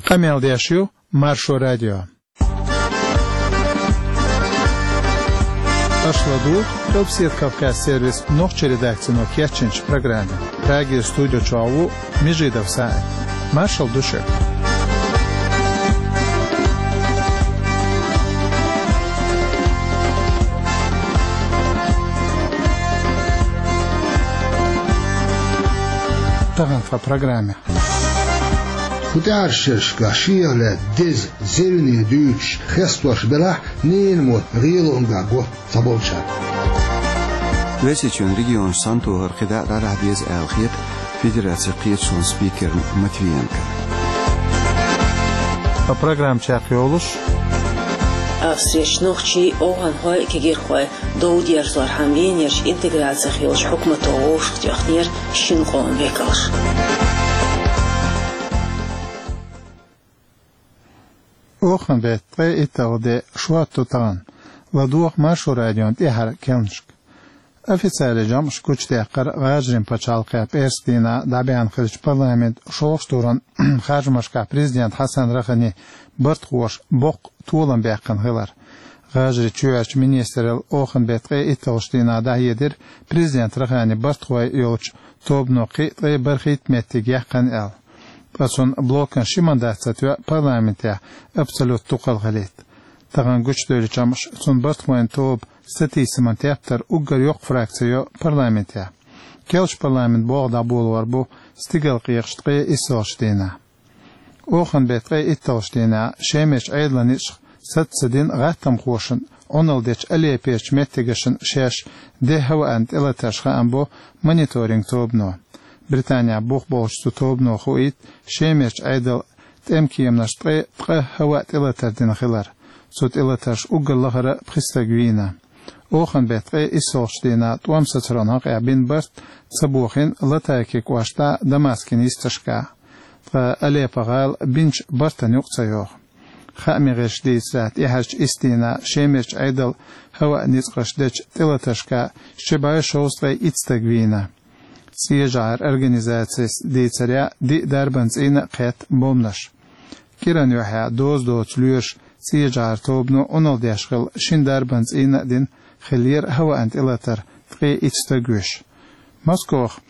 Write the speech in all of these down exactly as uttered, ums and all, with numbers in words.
Къамел деш ю Маршо радио. Аша ладугӀу Къилбседа Кавказ сервисан нохчийн редакцино кечйинчу программе. Прагера студи чохь ву Межидов СаӀид. Маршалла ду шуьга. Тахана тхан программе. ХӀокху тӀаьххьарчу шерашкахь шех лаьцна деза, зевне дуьйцуш, хестош белахь а, ненан мотт гӀелонга го цхьаболчара. Оьрсийчоьнан регионаш санна тохар кхидӀа а дӀадахьа деза аьлла хета федерацин кхеташонан спикерна Матвиенкона. Ткъа программа чекхйолуш: Австрерчу нохчий, овхӀанхой а, кегийрхой а дов дерзорхьама Венерчу интеграцих йолчу хьукмато вовшахтоьхнера шина къоман векалш. Оханан беттан ткъе итталгӀа де, шо а ту тахана. ЛадогӀа Маршо радион тӀаьххьара керланашка. Официалан жамӀаш гучудаьккхира ГӀажарийн пачхьалкхехь пӀераскан дийнахь дӀабаьхна хиллачу парламентан шолгӀачу туран харжамашкахь президент Хьасан Рахани бартахоша боккха толам баьккхина хилар. ГӀажарийн чоьхьарчу министралла оханан беттан ткъе итталгӀачу дийнахь дӀахьедира, президент Рахани бартахой йолчу тобано кхин а ткъе бархӀитта меттиг яьккхина аьлла. Ткъа цунна блокан ши мандат ца тоьа парламентехь абсолютан дукхалла хилийта. Тахана гучудевллачу жамӀаша, цунна бартахойн тоба сатийсаман тептар уггар йоккха фракци йо парламентехь. Керлачу парламентан болх дӀаболор бу стигалкъекъаш ткъе иссалгӀачу дийнахь. Оханан беттан ткъе итталгӀачу дийнахь Шемарчу Ӏедалан ницкъаша саца ца дина гӀаттамхошна Ӏуналла дечу Алеппочу меттигашна шаьш де хӀаваан тӀелатарш хаам бо мониторинг тобано. Британехь бух болчу цу тобано хуийта Шемарчу Ӏедалан тӀемкеманаш ткъе ткъа хӀаваан тӀелатар дина хилар. Цу тӀелатаршна уггар лахара пхи стаг вийна. Оханан беттан ткъе иссалгӀачу дийнахь тӀом сацаран хьокъехь бина барт ца бохийна Латакия кӀоштахь, Дамаскан йисташкахь. Ткъа Алеппо-гӀала бинчу бартана юкъа ца йогӀу. Хааман гӀирсаша дийцарехь, тӀаьххьарчу исс дийнахь Шемарчу Ӏедалан хӀаваан ницкъаша дечу тӀелатаршкахь ши бӀе шовзткъе итт стаг вийна. ЦӀечу жӀаран организацис дийцарехь, диъ дарбан цӀийнан а кхетта бомбанаш. КӀиран юьххьехь доза доцу лоьраша цӀечу жӀаран тобано Ӏуналла деш хилла шина дарбан цӀийнан а дина хиллера хӀаваан тӀелатар, ткъе итт стаг вуьйш. Москоха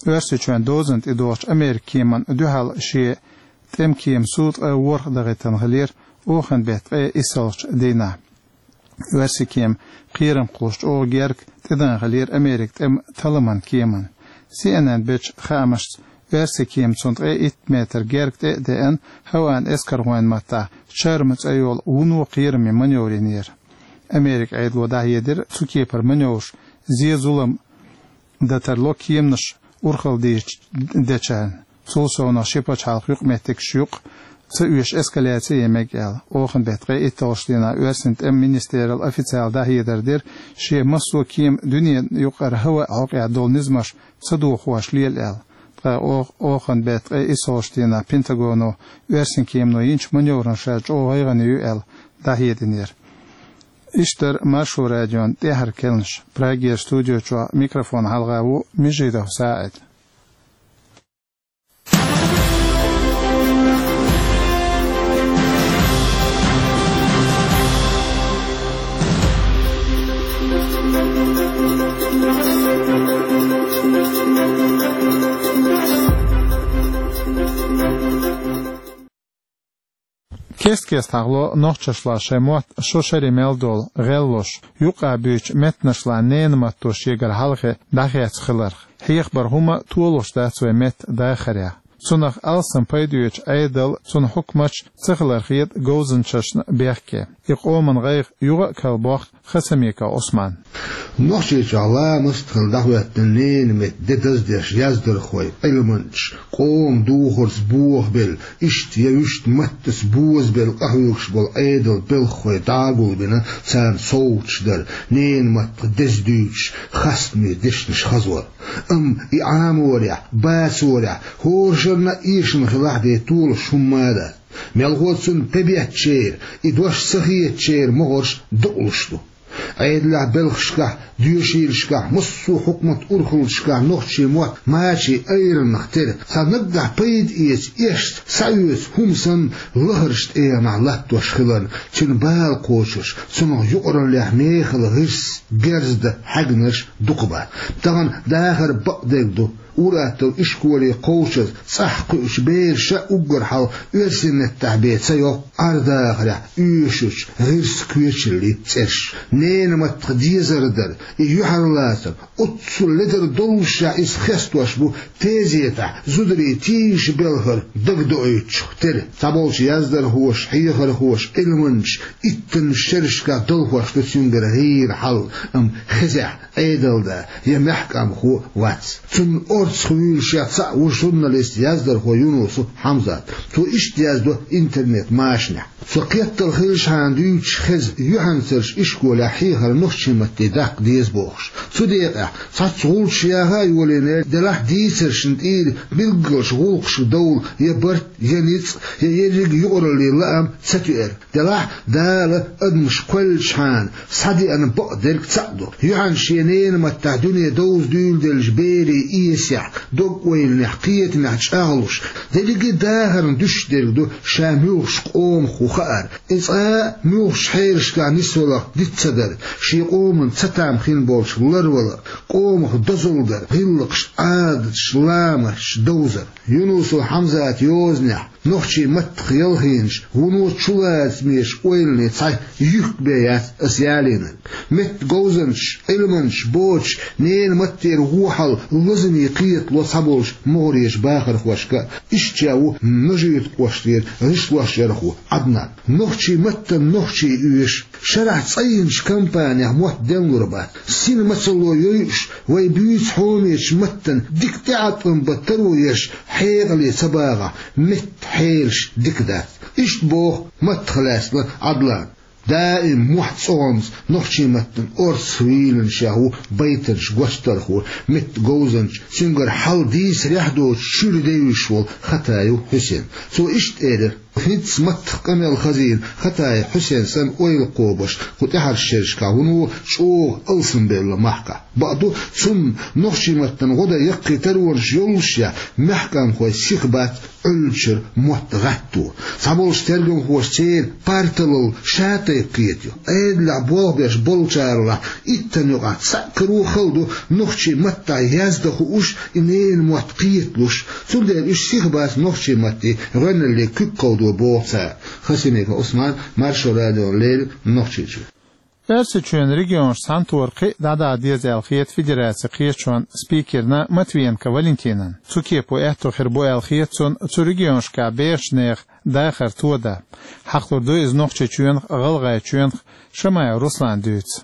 Оьрсийчоьнан дозанна тӀедогӀучу Американ кеманна дуьхьал шен тӀемкеман суд ткъе ворхӀ дахийтина хиллера оханан беттан ткъе иссалгӀачу дийнахь. Оьрсийн кеман кхерам кхуллуш чӀогӀа герга тӀедеана хиллера Американ тӀеман талламан кеманна. Си Эн Эн бечу хаамашца, оьрсийн кеман цунна ткъе итт метр герга тӀе а деана, хӀаваан эскархойн маттахь «Чарма» цӀе йолу вуно кхераман маневр йинера. Американ Ӏедало дӀахьедира, цу кепара маневраш зен-зулам дан тарло кеманаш урхалла дийрачу дечарна. Цул совнаха ши пачхьалкхан юкъаметтигаш юкъа ца оьшу эскаляци ян мега аьлла. Оханан беттан ткъе итталгӀачу дийнахь оьрсийн тӀеман министралла официалан дӀахьедар дира, шен массо а кема дуьненан юкъара хӀаваан хьокъехь долу низамаш ца дохош лела аьлла. Ткъа оха-, оханан беттан ткъе иссалгӀачу дийнахь Пентагоно оьрсийн кемано йинчу маневрана ша чӀогӀа гӀайгӀане ю аьлла дӀахьединера. Иштта дара Маршо радион тӀаьххьара керланаш. Прагера студи чохь микрофонна хьалха ву Межидов СаӀид. Кест-кеста хьахало нохчашлахь шайн мотт шо шаре мел долу гӀеллош, юкъа буьйцучу меттанашлахь ненан матто шегара хьалхе дӀахецна хиларх. Хьехабара хӀума толуш дац вайн меттан дахарехь. Цунах алсам пайда оьцучу Ӏедал, цуьнан хьукматаш ца хилар хета говзанчашна бехке. И къоман гӀайгӀа юха а кхалбоккху Хасамиков Ӏусман. Нохчийчохь ламаст а хилла дӀахӀоьттина ненан меттан де даздеш яздархой, Ӏилманчаш, къоман духарца бохабелла, иштта я вуьшта маттаца бозабелла къахьоьгуш болу Ӏедалан белхахой дӀа а гулбина, царна совгӀаташ дар, ненан маттах деза дуьйцуш, хастаме дешнаш хазор. Амма и Ӏаморехь, бацорехь, хӀоранна а эшам хилахь бен толуш хӀумма а дац. Мелхо цунна тӀебеттачеран, и дош ца хетачеран могӀарш дакъалуш ду. Ӏедалехь белхашкахь, доьшийлашкахь, массо а хьукмат урхаллашкахь нохчийн мотт мачийн айранах тера, цхьа наггахь пайда эца, эшца схьаоьцу хӀума санна, лахарчу тӀегӀанехь латтош хиларна, цуьнан бала кхочурш, цунах юкъараллехь мехала гӀирс, герз дан хьаьгнарш дукха бац. Тахана дахар бакъдерг ду. Ур-атталла ишколе кховдаза цӀахь кхуьучу бераша уггар хьалха оьрсийн меттехь бен ца йоккху Ӏар-дахарехь оьшучу гӀирсан коьчаллин цӀераш. Ненан маттах дезар дар, и юьхьарлацар, оццул ледар доллушехь иза хестош бу тезетахь зударийн тийжа белхар дагадоуьйтучух тера. Цхьаболчу яздархоша, хьехархоша, Ӏилманчаша иттаннаш шерашкахь далхош ду цуьнгара гӀийра хьал, амма хезехь, Ӏедалда я маьхкамхо вац. Цунна орцах вуьйлуш яц цхьаъ ву журналист, яздархо Юнусов Хьамзат. Цо иштта яздо интернет-машанехь. Со кхеттал хилчхьана дуьйцуш хеза, юьхьанцарш ишколехь хьехар нохчийн матте даккха деза бохуш. Цу декъехь цхьацца гӀулчаш яха а йолийна, делахь дийцаршна тӀера билггалчу гӀуллакхашка довла я барт, я ницкъ, я ерриг юкъараллин лаам ца тоьара. Делахь Дала адамаш кхоьллинчхьана схьадеана бакъдерг цхьаъ ду. Юьхьанца шен ненан маттахь дуьне довза дуьйладеллачу берийн эсехь, дог-ойланехь, кхетамехь чӀагӀлуш, дерриге а дахарна дуьсуш дерг ду ша муьлхачу къомах ву хаар. И цкъа а муьлххачу хьелашкахь нисваларх диц ца дар, шен къоман цатам хин болчух ларвалар, къомах дозалла дар, гӀиллакхаш, Ӏадаташ, ламасташ довзар. Юнусов Хьамзатан йозанехь, нохчийн маттах ялхийначу, вуно чулацамечу ойланийн цхьа юьхк бен яц аса ялийнарг. Меттан говзанчаш, Ӏилманчаш боцуш, ненан маттера вон хьал лазаме кхетало цхьаболчу могӀарерчу бахархошка а, иштта ша ву Нажи-Юьртан кӀоштара гӀишлошъярхо Ӏаднан. Нохчийн маттана нохчий оьшу, шарахь цӀа йинчу кампанех мотт денлур бац. Сина мацалло йойуш, вай буьйцу хьоменчу маттана дика тӀеӀаткъам бан таро еш, хьекъале ца багӀахь, меттан хьелаш дика дац. Иштта боху маттах лаьцна Ӏадлана. Даим мохь цӀогӀанца нохчийн маттана орцах вийланашехь ву байтанаш гочдархо, меттан говзанча, цуьнгара хьал дийцарехь доцуш чуьра девзаш волу Хатаев Хьусен. Цо иштта элира: «ХӀинцца маттах къамел хазийна Хатаев Хьусен санна ойла кхобуш, кху тӀаьхьарчу шерашкахь вуно чӀогӀа алсамбелла махкахь. Бакъду, цунна нохчийн маттана гӀо дан яккхий таронаш йоллушехь, маьхкамхой сиха бац Ӏуьллучуьра мотт гӀатто. Цхьаболчу тергамхоша церан парталла ша тайпа кхетайо. Ӏедалехь болх беш болчаралахь иттанна юкъахь цхьаъ каро хала ду нохчийн маттахь яздан хууш, и ненан мотт кхеталуш. Цундела уьш сиха бац нохчийн маттий гӀоьналлий куьг кховдо», — боху цара. Хасимиков Ӏусман, Маршо радиона леррина, Нохчийчоь. Оьрсийчоьнан регионаш цхьаьнатохар кхин а дӀадала деза аьлла хета федерацин кхеташонан спикерна Матвиенко Валентинан. Цу кепо аьтто хир бу аьлла хета цунна цу регионашкахь бехачу нехан дахар тодан. Хьахалур ду иза Нохчийчоьнах а, ГӀалгӀайчоьнах а, Шамаев Руслана дуьйцу.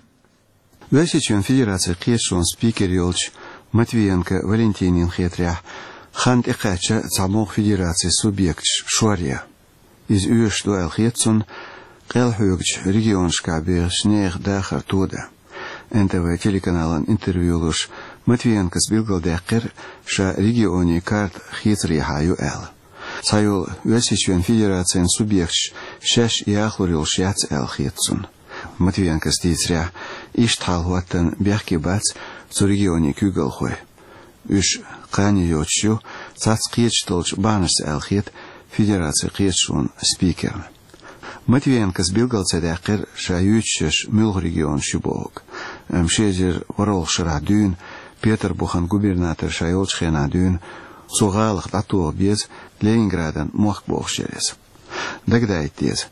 Оьрсийчоьнан Федерацин кхеташонан спикер йолчу Матвиенко Валентинина хетарехь, хан тӀекхаьчна цхьамогӀа федерацин субъекташ шоръян. Иза оьшуш ду аьлла хета цунна къел хьоьгучу регионашкахь бехачу нехан дахар тодан. Н Т В телеканална интервью луш, Матвиенкос билгалдаьккхира, ша регионийн карта хийцарехьа ю аьлла. Цхьайолу Оьрсийчоьнан Федерацин субъекташ шаьш яхалур йолуш яц аьлла хета цунна. Матвиенкос дийцарехь, иштта хьал хӀоттан бехке бац цу регионийн куьйгалхой. Уьш кхане йоцуш ю цхьацца кхеташ долчу бахьанашца аьлла хета Федерацин кхеташонан спикерна. Матвиенкос билгал ца даьккхира, ша юьйцуш ерш муьлха регионаш ю бохург. Амма ши эзар ворхӀалгӀачу шарахь дуьйна, Петарбухан губернатор ша йолчу хенахь дуьйна, цу гӀалах дӀатоха беза Ленинградана мохк бохуш яра иза. Дагадаийта деза,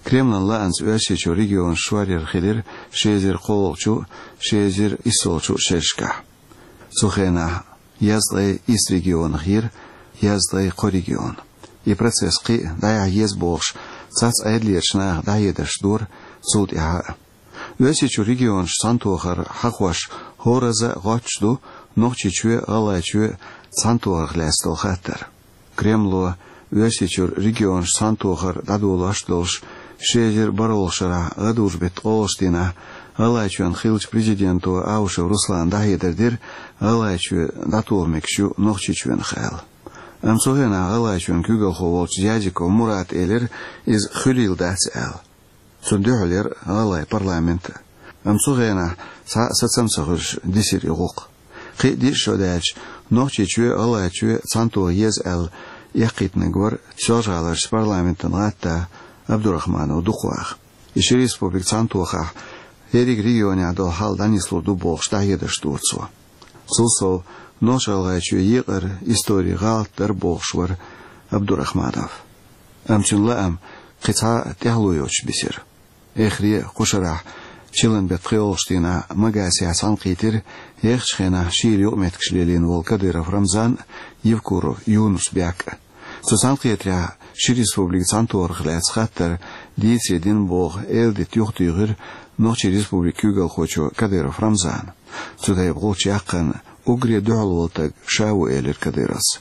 Кремлан лаамца Оьрсийчуьра регионаш шоръяр хилира ши эзар кхоалгӀачу, ши эзар иссолгӀачу шерашкахь. Цу хенахь езткъе исс регионах йира езткъе кхо регион. И процесс кхин а дӀаяхьа еза бохуш, цхьацца Ӏедалерчу наха дӀахьедарш дора цул тӀаьхьа а. Оьрсийчуьра регионаш цхьаьнатохар хьахош хӀоразза а гӀоттуш ду Нохчийчоь а, ГӀалгӀайчоь а цхьаьнатохарх лаьцна долу хаттар. Кремло Оьрсийчуьра регионаш цхьаьнатохар дӀадолош долуш, ши эзар бархӀалгӀачу шарахь гӀадужу-беттан ткъолгӀачу дийнахь ГӀалгӀайчоьнан хиллачу президенто Аушев Руслана дӀахьедар дира, ГӀалгӀайчоь дӀатоха мегаш ю Нохчийчоьнах аьлла. Амма цу хенахь ГӀалгӀайчоьнан куьйгалхо волчу Зязиков Мурата элира, иза хуьлийла дац аьлла. Цунна дуьхьал яра гӀалгӀайн парламент а. Амма цу хенахь цхьа а сацам ца хуьлуш дисира и гӀуллакх. Кхин а диъ шо даьлча, Нохчийчоь а, ГӀалгӀайчоь а цхьаьнатоха еза аьлла, эккхийтинарг вара Соьлжа-ГӀаларчу парламентан гӀаттах Абдурахманов Дукхваха. И ши республика цхьаьнатохахь, ерриг регионехь долу хьал дӀанислур ду бохуш, дӀахьедарш дора цо. Цул сов, Нохч-ГӀалгӀайчоь екъар историн гӀалат дара бохуш вара Абдурахманов. Амма цуьнан лаам кхин цхьа а тӀаьхьало йоцуш бисира. Эххар а кху шарахь чиллан беттан пхоьалгӀачу дийнахь Магасехь цхьаьнакхийтира ехачу хенахь шийла юкъаметтигаш лелийна волу Кадыров Рамзан а, Евкуров Юнус-Бек а. Цу цхьаьнакхетарехь ши республика цхьаьнатохарх лаьцна хаттар дийцаре дина боху эладита юхатуьйхира Нохчийн республикан куьйгалхочо Кадыров Рамзана. Цу тайпа гӀулч яккхарна уггаре дуьхьал волу стаг ша ву, элира Кадыровс.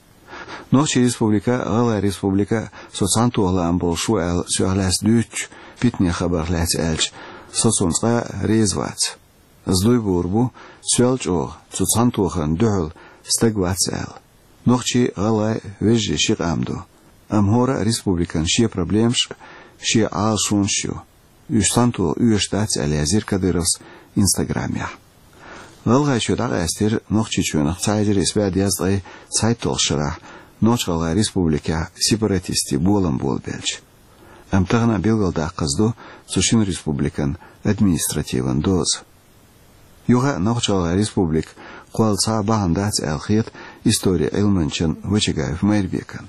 Нохчийн республика а, ГӀалгӀайн республика а со цхьаьнатоха лаам болуш ву аьлла, соьх лаьцна дуьйцучу питанийн хабарх лаьцна аьлча, со цунна цкъа а реза вац. Ас дуй буур бу, соьл чӀогӀа цу цхьаьнатохарна дуьхьал стаг вац аьлла. Нохчий а, гӀалгӀай а вежарий ши къам ду. Амма хӀора а республикан шен проблемаш а, шен Ӏалашонаш а ю. Уьш цхьаьнатоха оьшуш дац аьлла, язйира Кадыровс Инстаграмехь. ГӀалгӀайчоь дӀакъаьстира Нохчийчоьнах цхьа эзар исс бӀе дезткъе цхьайтталгӀачу шарахь Нохч-ГӀалгӀайн республикехь сепаратистийн болам болабелча. Амма тахана а билгалдаккхаза ду цу шина республикан административан доза. Юха а Нохч-ГӀалгӀайн республика кхолла цхьа а бахьана дац аьлла хета историн Ӏилманчан Вачагаев Майрбекан.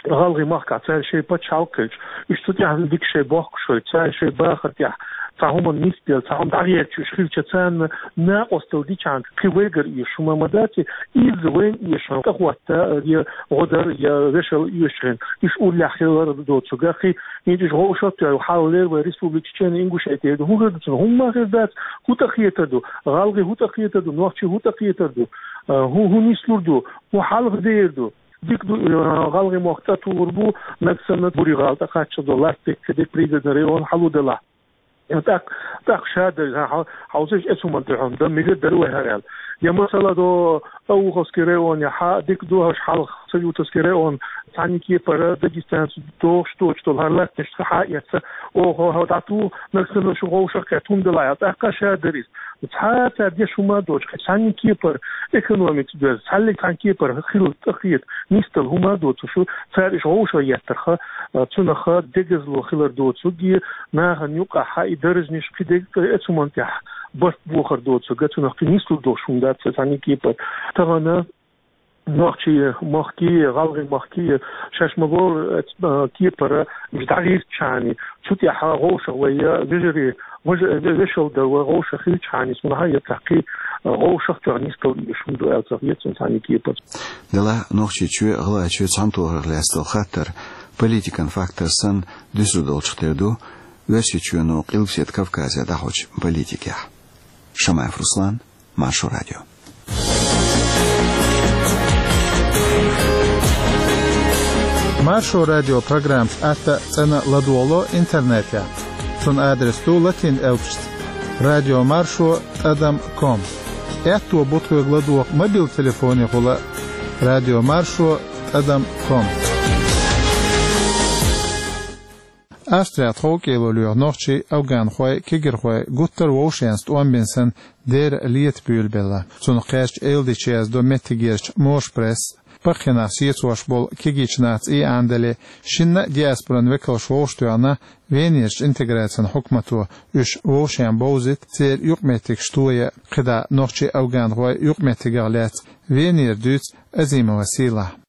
ГӀалгӀайн махкахь цара шайн пачхьалкх хилча, уьш цу тӀехь дика шайн бохкуш хилча, цара шайн бахар тӀехь цхьа хӀуманна нисделла, цхьа хӀума дӀагӀерташ уьш хилча, царна накъосталла дичахьана кхин вайгара оьшуш хӀума ма дац, изза вайна оьшуш хӀума тӀехӀотта, я гӀо дар, я вешал оьшуш хӀума, уьш уллехь хилар доцург а, кхин хӀинца уьш вовшах а тоьхна, хьалха леррина вайн республика Чечен-Ингушетия ду, хӀун хир ду цунах? ХӀумма ма хир дац. ХӀун тӀакхетар ду? ГӀалгӀай хӀун тӀакхетар ду? Нохчий хӀун тӀакхетар ду? А, хӀун, хӀун нислур ду? ХӀун хьалха дер ду? Дика ду, а, гӀалгӀай мохк цӀа тухур бу, нагахь санна Буре-ГӀала тӀе кхаччалц долу латта дерг, дерг Пригородный район хьалха делахь. ТӀаккха, тӀаккха ша дерг, хьан, хьан, хьовсийша, эцу хӀуманна тӀехь хӀума дан мегар дара вай хӀара аьлла. Я, масала, до Ауховский район, я хьа, дика ду хӀорш хьалха Саютовский район, цхьана кепара дагестанцаша дохуш доцуш долу хӀара латтанаш хьа а эцна, оха, хьо дӀатуха, нагахь санна шу вовшах кхетта хӀума делахь аьлла, тӀаккха ша дара иза. Цхьа а цара деш хӀума а доцуш, кхин цхьана кепара экономика доьзна, цхьаллиг цхьана кепара хила тӀакхета нисдала хӀума а доцуш, цара уьш вовшах еттарх, а, цунах дегазло хилар доцург, и нахана юкъахь и даржанаш кхин дерг эцу хӀуманна тӀехь барт бохар доцург, цунах кхин нислур долуш хӀума дац цхьана кепара. Тахана нохчий махкий, гӀалгӀай махкий, шаьш ма-бохху, э, кепара уьш дӀагӀертачхьана, цу тӀехь вовшах вай, вежарий, вежа-, вешал дар вай вовшах хилчхьана, цунах а я цхьа кхин, э, вовшах тоьхна нисдала оьшуш хӀума ду аьлла ца хета суна цхьана кепара. Делахь Нохчийчоь а, ГӀалгӀайчоь а цхьаьнатохарх лаьцна долу хаттар политикан фактор санна дуьсур долчух тера ду Оьрсийчоьно Къилбаседа Кавказе дӀахьочу политикехь. Шамаев Руслан, Маршо радио. Маршо радио программаш атта а, цӀена а ладогӀало интернетехь. Цуьнан адрес ду латин элпашца: радио маршо тӀадам ком. Аьтто бу тхоьга ладогӀа мобил телефонехула: радио маршо тӀадам ком. Австрехь тховкӀело лоьху нохчий, афганхой, кегирхой гуттар а вовшашца тӀом бина санна, дера лета буьйлабелла. Цунах кхаьчча, эладитанаш яздо меттигерчу «Моша Пресс». Пхеа-пхеа нах сецош болу кегийчу нахаца и Ӏандале, шинна а диаспоран векалш вовшахтоьхна Венерчу интеграцин хьукмато, уьш вовшашна бовзийта, церан юкъаметтигаш тоя, кхидӀа нохчий, афганхой юкъаметтигах лаьцна Венера дуьйцу Азимова Сийлахьа.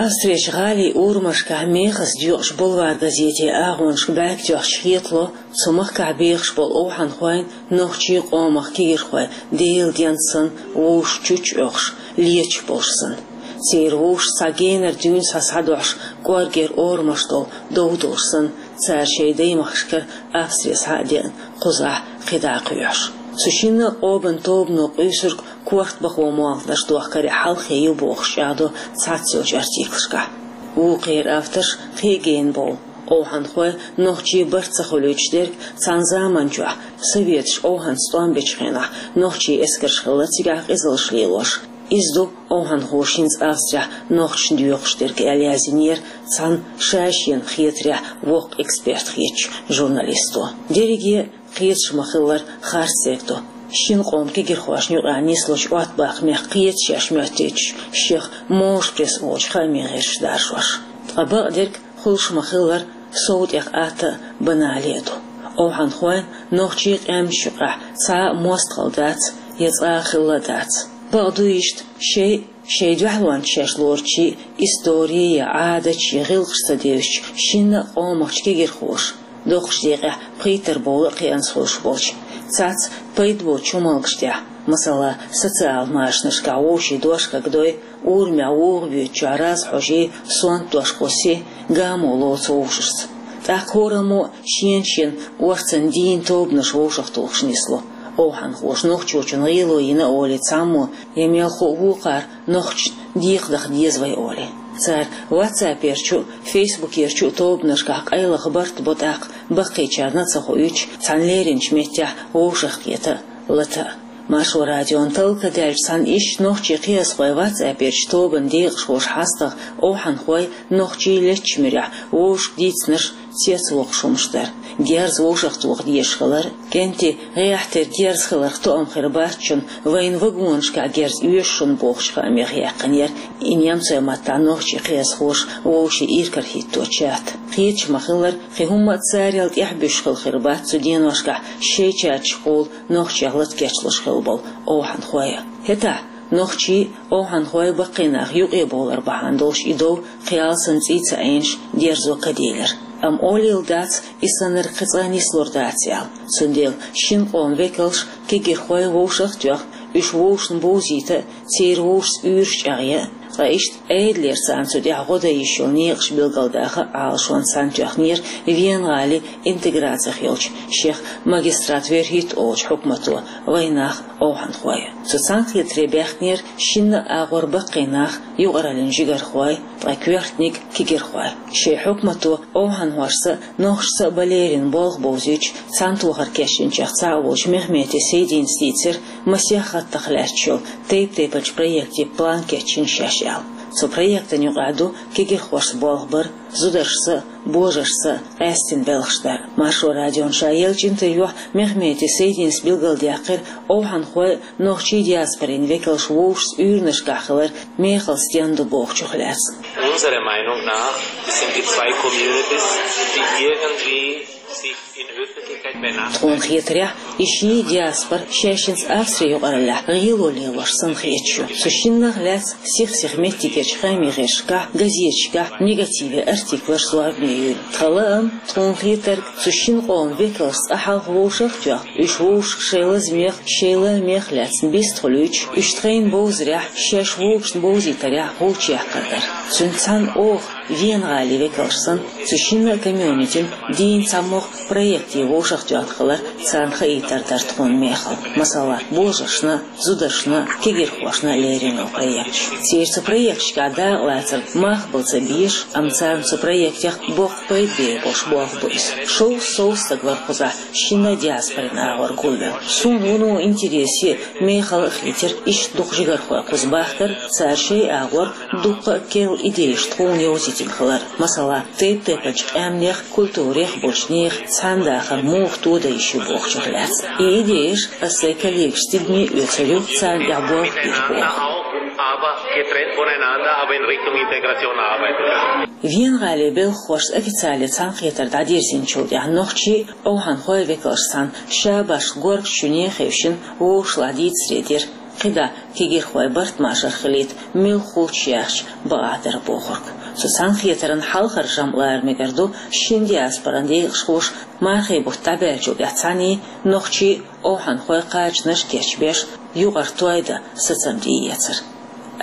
Австрерчу гӀалин урамашкахь мехаза доькъуш «Бульвар» газетан агӀонашка бӀаьрг тоьхча хетало, цу махкахь бехаш болу овхӀанхойн, нохчийн къомах кегирхойн Делан денца санна вовшашна чучча Ӏохкуш, леташ болуш санна. Церан вовшашца цхьа генара дуьйна схьа схьадохьуш, кӀоргера орамаш долу дов долуш санна, цара шайн даймахкашкара Австре схьа а деана, кхузахь кхидӀа а кхоьхьуш. Цу шинна а къобан тобано къуьйсург корта бахо молханаш дохкаре хьалххе ю бохуш чӀагӀдо цхьацца йолчу артиклашкахь. Вукхеран авторш кхин а гена бовлу, овхӀанхой нохчийн барт ца хуьлуьйтуш дерг цхьана заманчохь, советаш овхӀанца тӀом бечу хенахь, нохчийн эскарш хилла цигахь къизаллаш лелош. Иза ду овхӀанхоша хӀинца Австрехь нохчашна доькъуш дерг аьлла яздинера цхьана ша-шена хетарехь воккха эксперт хетачу журналисто. Дерриге Кхеташ ма-хиллара, харцдерг ду шин къоман кегирхошна юкъахь нислучу оттабаккхамех кхеташеш моьттуьйтуш шех Можа пресса олучу хаамийн гӀирсаша даржош. Ткъа бакъдерг, хуьлуш ма-хиллара, сов тӀех атта а, банале а ду. Овхьанхойн, нохчийн къаьмнаш юкъахь цхьа а мостагӀалла дац я цкъа а хилла дац. Бакъ ду иштта, шайн, шайн дуьхьалонца шаьш лоручу истори я Ӏадаташ я гӀиллакхаш ца девзича, шинна а къомах кегирхоша доккхачу декъехь пхийттара бовла а кхианца хуьлуш болчу, цхьацца пайда боцучу хӀуманаш тӀехь, масала, социал машанашкахь вовшийн дош кагдой, урамехь вуха буьйцучохь раз хьожий, сонта дош кхуссий, гамо лоцу вовшашца. ТӀаккха хӀораммо а шен-шен орцанна дийна тобанаш вовшахтухуш нисло. Овхьанхоша нохчочун гӀело йина олий цхьаммо я мелхо а вукхара нохчашна декхадаха деза вай олий. Цара ватсаперчу а, фейсбукерчу а тобанашкахь къайлаха барт бо, тӀаккха баккхийчарна а ца хоуьйтуш, цхьана леринчу меттехь вовшахкхета а, лата а. Маршо радион талла ка даьлча, цхьана ишттачу нохчийн кхиазхойн ватсаперчу тобанан декъашхоша хьастагӀа овхьанхой нохчийн леттачу муьрехь вовшашка дийцинарш цецвоккхуш хӀумнаш дара. Герз вовшахтоха дезаш хилар, кӀентий гӀехь тера герз хиларх тоам хир бац шуна, вайна вагонашкахь герз оьшу шуна бохучу хаамех яьккхинера и немцойн маттахь нохчийн кхиазхоша вовшийн иракарахӀитто чат. Кхеташ ма-хиллара, кхин хӀумма а царел тӀаьхьабуьсуш хилла хир бац цу деношкахь шайн чаташкахула нохчех лата кечлуш хилла болу овхьанхой а. ХӀетахь, нохчий а, овхьанхой а баккхий нах юкъе бовлар бахьана долуш и дов кхин алсам цӀий ца Ӏенаш дерзо ка делира. Амма олийла дац, и саннарг кхин цкъа нислур дац аьлла. Цундела шин къоман векалш кегирхой вовшах а тоьхна, уьш вовшашна бовзийта а, церан вовшашца уьйраш чӀагӀъян а, ткъа иштта Ӏедалера царна цу тӀехь гӀо дан йиш йолу некъаш билгалдаха а Ӏалашонца цхьаьна тоьхнера Вена-гӀалин интеграцих йолчу шех магистрат верхӀитта олучу хьукмато вайн нах овхьанхой. Цу цхьаьнакхетаре баьхкинера шинна а агӀор баккхий нах, юкъараллин жигархой, ткъа коьртаниг кегирхой. Шайн хьукмато овхьанхошца а, нохчашца а бан лерина болх бовзуьйтуш, цхьаьнатохар кечйинчех цхьаъ волчу Мехмети Сайдинас дийцира масех хаттах лаьтташ йолу тайп-тайпанчу проектийн план кечйина шаьш аьлла. Цу проектан юкъахь ду кегирхошца болх бар, зударшца а, божаршца а къаьстина белхаш дар. Маршо радион ша еллачу интервьюхь Мехмети Сайдинас билгалдаьккхира овхьанхой а, нохчийн диаспорин векалш вовшашца уьйранашкахь хилар мехала стенна ду бохучух лаьцна. Unserer Meinung nach sind die zwei Communities, die irgendwie sich in Öffentlichkeit benannt. Тхуна хетарехь, и ши диаспора шаьшшинца Австри юкъараллехь гӀело лелош санна хеташ ю. Цу шиннах лаьцна сих-сиха меттигерчу хаамийн гӀирсашкахь, газеташкахь негативе артиклаш зорбане юьйлу. Тхан лаам, тхуна хетарг, цу шин къоман векалш цкъа хьалха вовшах а тоьхна, уьш вовшашка шайн лазамех, шайн лаамех лаьцна бистхуьлуьйтуш, уьш тхайна бовзарехь, шаьш вовшашна бовзийтарехь гӀулч яккхар дара. Цуьнца цхьаьна оха, Вена-гӀалин векалш санна, цу шинна а комьюнитин дийна цхьамогӀа проектийн вовшахтоьхна хилар царна хаийтар дара тхуна мехала. Масала, божаршна, зударшна, кегирхошна лерина йолу проекташ. Церан цу проекташкахь дакъалацар махбала ца безаш, амма царна цу проектех боккха пайда бер болуш болх бу иза. Шовзткъа сов стаг вара кхузахь шинна а диаспорин агӀор гулвелла. Суна вуно интересе а, мехала а хийтира иштта дукха жигархой кхуза бахкар, цара шайн агӀор дуккха а керла идеяш тхуна йовзийтина хилар. Масала, тайп-тайпанчу къаьмнех, культурех болчу нехан цхьаьна дахар муха тодан йиш ю бохучух лаьцна. И идеяш ас сайн коллегашца тидаме а оьцур ю, царна тӀехь болх бийр боху. Aber getrennt voneinander, aber in Richtung Integration arbeiten. Вена-гӀалин белхахошца официале цхьаьнакхетар дӀадирзинчул тӀаьхьа нохчийн а, овхьанхойн а векалш санна, ша башха горга шуьне а хевшина, вовшашлахь дийцаре дира. КхидӀа кегирхой барт машар хилийта муьлххачу яхча бакъахь дара бохург. Цу цхьаьнакхетаран хьалхара жамӀ лара мегар ду шина диаспоран декъашхоша мархийн бутт дӀабаьллачул тӀаьхьа цхьаьний нохчийн а, овхьанхойн а кхачанаш а кечбеш, юкъара той дан сацам тӀеэцар.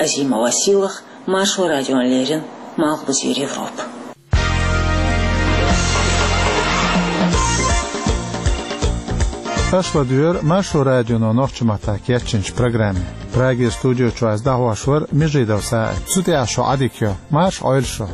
Азима Василах, Маршо радиона леррина, Малхбузера Европа. Аша ладуьйгӀира Маршо радионо нохчийн маттахь кечйинчу программе. Прагера студи чуьра ас дӀахьош вара Межидов СаӀид. Цу тӀехь шун Ӏадика йо. Марша Ӏойла шу.